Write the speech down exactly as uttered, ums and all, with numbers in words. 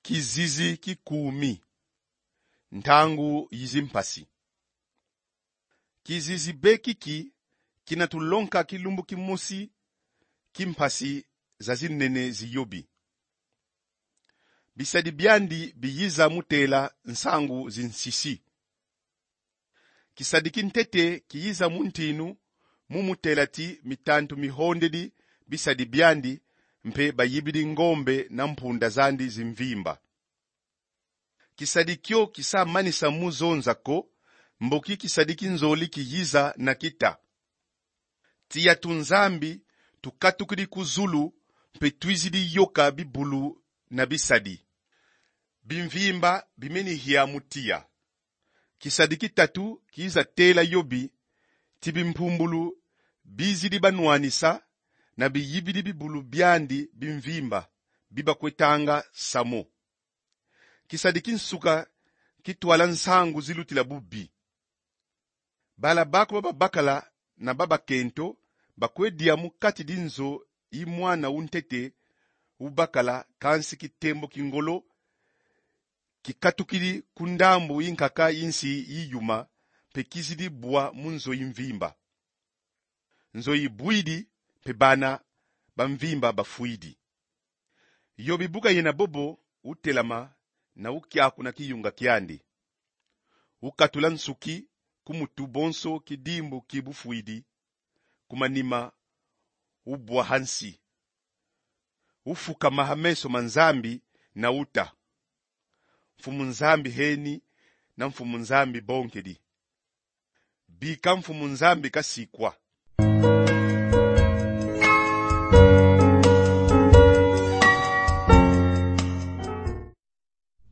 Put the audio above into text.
Kizizi ki kumi. Ntangu yi zimpasi. Kizizi be kiki kina tulonka kilumbu kimosi ki mpasi za zinene zi Yobi. Bisadi biandi biyiza mu tela nsangu zi nsisi. Kisadi ki ntete kiyiza mu ntinu mu mu tela ti mitantu mihondedi bisadi biandi, mpe bayibidi ngombe na mpunda zandi zi mvimba. Kisadi kio kisa manisa mu zonza ko, mboki kisadi ki nzoli kiyiza na kita. Tiya tu Nzambi tukatukidi ku zulu, mpe twizidi yoka bibulu na bisadi. Bimvimba bimeni hia mu tiya. Kisadi ki tatu kiyiza tela Yobi ti bimpumbulu bizidi banwanisa, na biyibidi bibulu biandi bimvimba, bi bakwetanga samo. Kisadi ki nsuka kitwala nsangu zilutila bubi. Bala baku ba babakala na ba bakento bakwe dia mu kati di nzo yi mwana wu ntete wu bakala, kansi kitembo ki ngolo kikatukidi ku ndambu yi nkaka yi nsi yi yuma, mpe kizidi bwa mu nzo yi mvimba. Nzo yi bwidi, mpe bana ba mvimba bafwidi. Yobi bu kayena bobo, utelama na ukiakuna kiyunga kiandi. Ukatula nsuki ku mutu bonso kidimbu ki bufwidi, ku manima ubwa hansi. Ufukama ha meso ma Nzambi na uta: Mfumu Nzambi heni, na Mfumu Nzambi bonkedi. Bika Mfumu Nzambi kasikwa.